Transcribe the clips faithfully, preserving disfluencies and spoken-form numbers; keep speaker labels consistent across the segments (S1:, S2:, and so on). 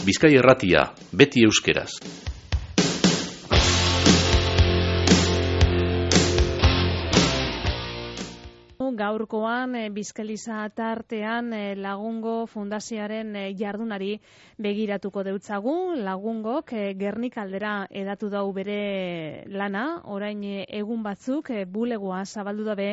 S1: Bizkaia Irratia, beti euskeraz.
S2: Gaurkoan Bizkaliza tartean Lagungo Fundazioaren jardunari begiratuko deutzagu. Lagungok Gernika aldera edatu dau bere lana, orain egun batzuk bulegoa zabaldu dabe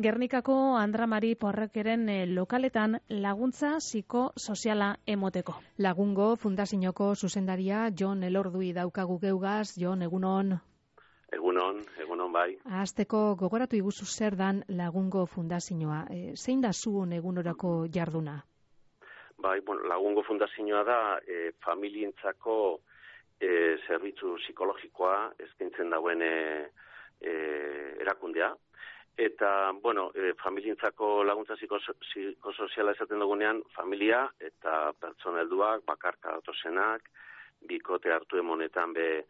S2: Gernikako Andramari Porrekeren lokaletan laguntza psikosoziala emoteko.
S3: Lagungo Fundazioko zuzendaria Jon Elordui daukagu geugaz. Jon, egunon.
S4: Egunon, egunon bai.
S3: Hasteko gogoratu iguzu zer dan Lagungo Fundazioa. E, zein da zuen egunorako jarduna?
S4: Bai, bueno, Lagungo Fundazioa da e, familientzako e, zerbitzu psikologikoa eskaintzen dauen e, e, erakundea. Eta, bueno, e, familientzako laguntza psikosoziala esaten dugunean, familia eta pertsona helduak, bakarka datozenak, bikote hartu emonetan be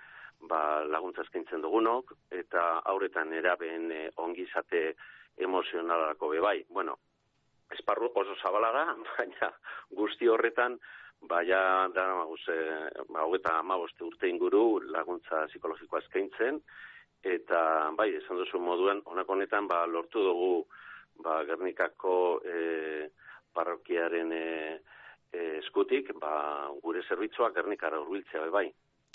S4: ba, laguntza eskaintzen dugunok, eta hauretan erabeen e, ongizate emozionalarako bebai. Bueno, esparru oso zabala da, baina guzti horretan, baina da, e, ba, hogeta hamabost urte inguru laguntza psikologikoa eskaintzen, eta bai, esan duzu moduen, honako honetan, ba, lortu dugu ba, Gernikako e, parrokiaren e, e, eskutik, ba, gure zerbitzuak Gernikara hurbiltzea bebai.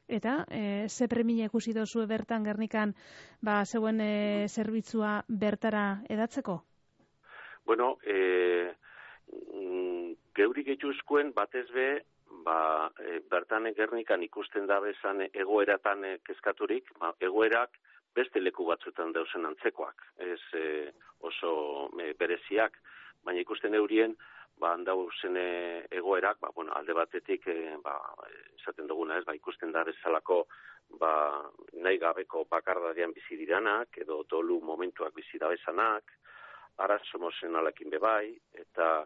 S2: Eta, e, ze premia ikusi dozue bertan Gernikan, ba, zeuen e, zerbitzua bertara edatzeko?
S4: Bueno, e, geurik etxuzkoen batez be, ba, e, bertan Gernikan ikusten da bezan egoeratan e, kezkaturik, ba, egoerak beste leku batzuetan dauzen antzekoak, ez e, oso e, bereziak, baina ikusten eurien, ba, handauzen egoerak, ba, bueno, alde batetik, e, ba, esaten duguna ez, ba, ikusten da bezalako, ba, nahi gabeko bakardadean bizi diranak, edo dolu momentuak bizi dabezanak, arazo emozionalekin bebai, eta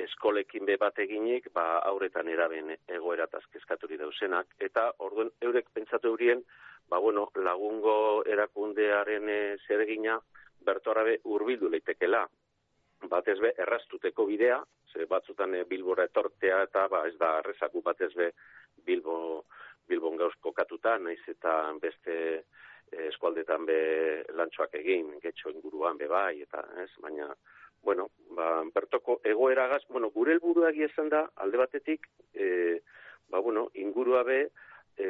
S4: eskolekin be bat eginik, ba, aurretan eraben egoerataz kezkaturi dauzenak, eta orduen eurek pentsatu eurien, ba, bueno, Lagungo erakundearen e, zeregina, bertorabe hurbildu leitekela, batez be erraztuteko bidea, ze batzutan e, Bilbora etortea eta ba ez da errezaku batez be Bilbo Bilbon gauz kokatuta, naiz eta beste e, eskualdetan be lantxoak egin, getxo inguruan be bai eta, ez, baina bueno, ba bertoko egoeragaz, bueno, gure helburua egia izan da alde batetik e, ba bueno, ingurua be e,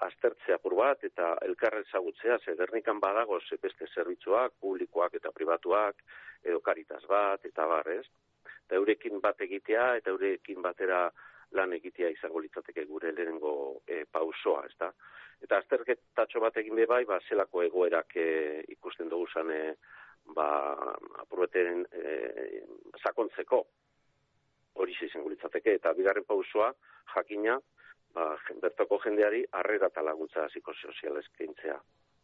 S4: aztertzea apur bat eta elkarra ezagutzea, ze Gernikan badago ze beste zerbitzuak, publikoak eta pribatuak, edo Karitas bat, eta bar, ez? Eta eurekin bat egitea, eta eurekin batera lan egitea izango litzateke gure lehenengo e, pausoa, ez da? Eta azterketatxo bat egin bebai, ba, zelako egoerak e, ikusten dugu zan, e, ba, apurbeten e, sakontzeko hori izango litzateke, eta bigarren pausoa, jakina, ba, bertoko jendeari harrera eta laguntza psikosoziala eskaintzea.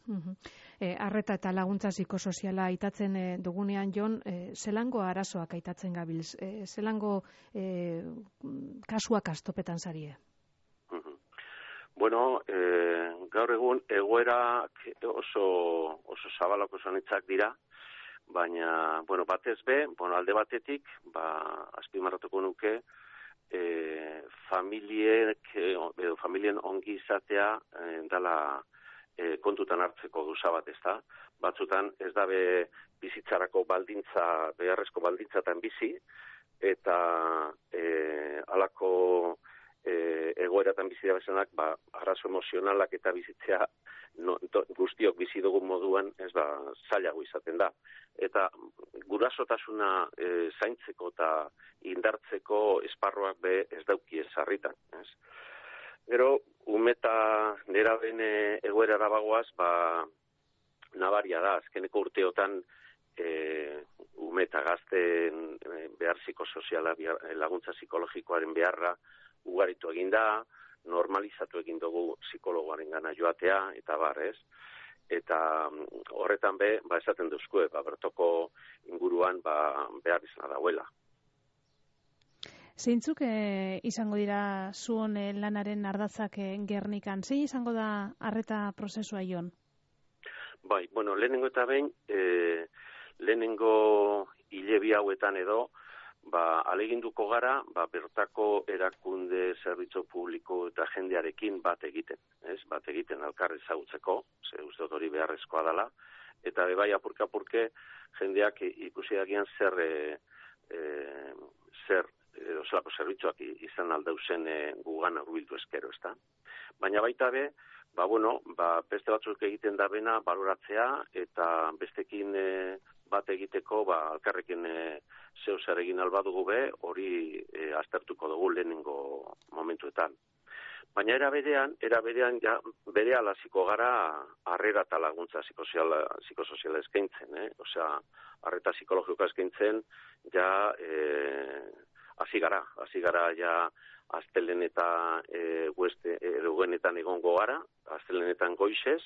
S3: Uh-huh. E, arreta eta laguntza psikosoziala aitatzen e, dugunean, Jon, e, zelango arazoak aitatzen gabilz? E, zelango e, kasuak astopetan zarie?
S4: Uh-huh. Bueno, e, gaur egun egoerak oso, oso zabalako zanitzak dira, baina, bueno, batez be, bueno, alde batetik, ba, azpimarratuko nuke, e, familiek, edo familien ongi izatea e, dala E, kontutan hartzeko gauza bat, ez da. Batzutan ez dabe bizitzarako baldintza, beharrezko baldintzatan bizi, eta e, alako e, egoeratan bizi da bezanak, ba, arazo emozionalak eta bizitzea no, to, guztiok bizi dugun moduan, ez ba, zailago izaten da. Eta gurasotasuna e, zaintzeko eta indartzeko esparroak be ez dauki ez sarritan, ez. Gero, umeta nera bene egoera dabagoaz, ba, nabaria da, azkeneko urteotan e, umeta gazten e, behar psikosoziala, laguntza psikologikoaren beharra ugaritu egin da, normalizatu egin dugu psikologoaren gana joatea, eta bar, ez? Eta horretan be, ba, esaten duzkue, ba, bertoko inguruan ba, behar izan dauela.
S2: Zeintzuk e, izango dira zuen e, lanaren ardatzak e, Gernikan? Zein izango da arreta prozesua, Jon?
S4: Bai, bueno, lehenengo eta behin, e, lehenengo hilebi hauetan edo, ba, aleginduko gara, ba, bertako erakunde zerbitzu publiko eta jendearekin bat egiten, ez? Bat egiten alkarri ezagutzeko, ze uste dut hori beharrezkoa dela, eta bebai apurka-apurke jendeak ikusi dagian zer, e, e, zer, edo zelako zerbitzuak izan aldauzen e, gugan hurbildu eskero, ezta? Baina baita be, ba, bueno, ba, beste batzuk egiten da bena baloratzea, eta bestekin e, bat egiteko, ba, alkarrekin e, zeu zer egin albadugu be, hori e, aztertuko dugu lehenengo momentuetan. Baina era berean, era berean ja bere alaziko gara harrera eta laguntza psikosoziala, psikosoziala eskaintzen, eh? Osea, harreta psikologikoa eskaintzen ja eh hasi gara, hasi gara ja astelen eta eh ueste egunetan egongo gara, astelenetan goizez,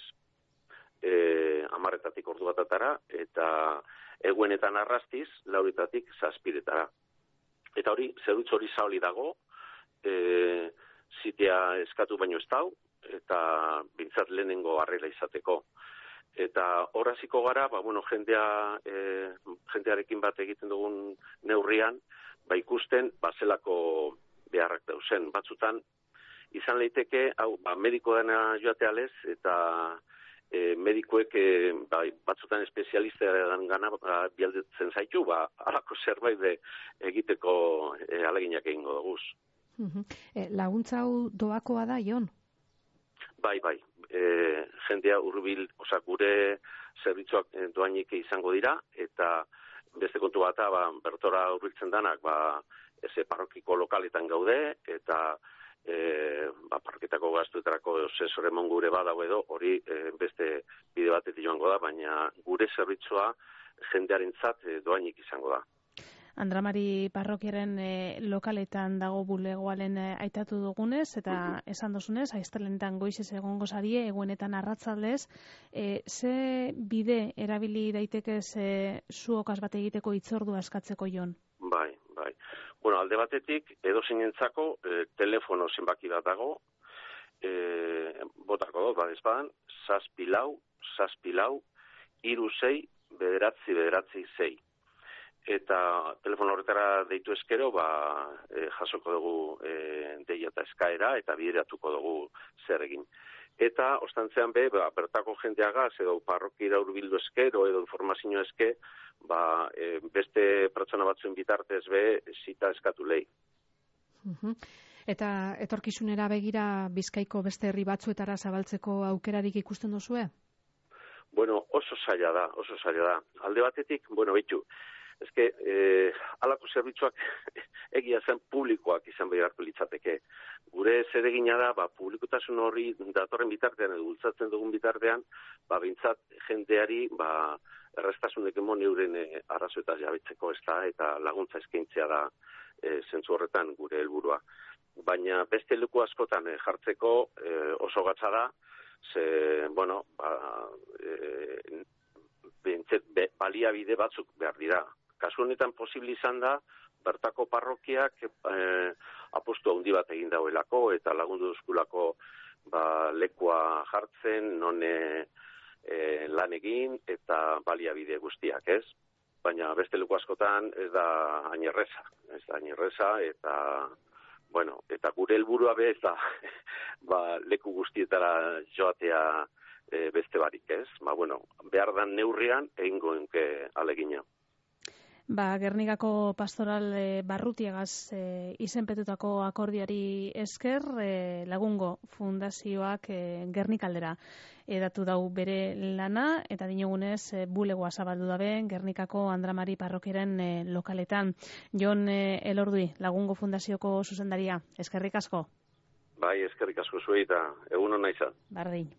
S4: eh hamarretatik ordu batatara eta egunetan arrastiz lauretatik zazpiretara. Eta hori zerutz hori zabali dago, eh zitea eskatu baino ez dau, eta bintzat lehenengo harrera izateko. Eta horraziko gara, ba, bueno, jendea, e, jendearekin bat egiten dugun neurrian, ba, ikusten, ba, zelako beharrak dauzen. Batzutan, izan leiteke, hau, ba, mediko dena joatea lez, eta e, medikoek, e, ba, batzutan espezialistearen gana, ba, bialdetzen zaitu, ba, alako zerbait de egiteko e, aleginak egingo duguz.
S3: Uh-huh. E, laguntza hau doakoa da, Jon?
S4: Bai, bai. E, jendea hurbil, osa gure zerbitzuak doainik izango dira, eta beste kontu bat, ba, bertora hurbiltzen danak, ba, eze parrokiko lokaletan gaude, eta e, ba, parroketako gaztuetarako sensore mon gure badau edo, hori e, beste bide batetik joango da, baina gure zerbitzua jendearentzat e, doainik izango da.
S2: Andramari parrokiaren e, lokaletan dago bulegoalen e, aitatu dugunez, eta esan dozunez, aiztelenetan goizez egongo zarie, egunetan arratzaldez, e, ze bide erabili daitekez e, zuokaz bat egiteko hitzordua eskatzeko, Jon?
S4: Bai, bai. Bueno, alde batetik, edo zinentzako, e, telefono zenbaki bat dago, e, botako dut, badez badan, zazpilau, zazpilau, iru zei, bederatzi, bederatzi zei. Eta telefono horretara deitu eskero, ba, e, jasoko dugu e, deia eta eskaera, eta bideratuko dugu zer egin. Eta, ostantzean be, ba, bertako jendeagaz, edo parrokira hurbildu eskero, edo informazio eske, ba, e, beste pertsona batzuen bitartez be, zita eskatu lehi.
S3: Uh-huh. Eta etorkizunera begira Bizkaiko beste herri batzuetara zabaltzeko aukerarik ikusten duzue?
S4: Bueno, oso zaila da, oso zaila da. Alde batetik, bueno, behitu, Ez que, eh, alako zerbitzuak egia zen publikoak izan beharko litzateke. Gure zeregina da, ba, publikotasun horri datorren bitartean, edo bultzatzen dugun bitartean, ba, bintzat jendeari, ba, errestasunek emon euren e, arrazoetaz jabetzeko, ez da, eta laguntza eskaintzea da e, zentzu horretan gure helburua. Baina beste leku askotan e, jartzeko e, oso gatza da, ze, bueno, ba, e, bintzet, be, baliabide batzuk behar dira. Kasu honetan posible izan da, bertako parrokiak eh, apostu handi bat egin dauelako eta lagundu duzkulako ba, lekua jartzen, non e, lan egin eta baliabide guztiak, ez? Baina beste leku askotan ez da hain erreza, ez da hain erreza eta, bueno, eta gure helburua be ez da ba, leku guztietara joatea e, beste barik, ez? Ba, bueno, behar dan neurrian egingo enke alegina.
S2: Ba, Gernikako pastoral e, barrutiagaz e, izenpetutako akordiari esker e, Lagungo Fundazioak e, Gernikaldera edatu dau bere lana, eta dinogunez e, bulegoa zabaldu dabe Gernikako Andramari parrokiaren e, lokaletan. Jon e, Elordui, Lagungo Fundazioko zuzendaria, eskerrik asko.
S4: Bai, eskerrik asko zuei eta egun hona izan.
S2: Bardin.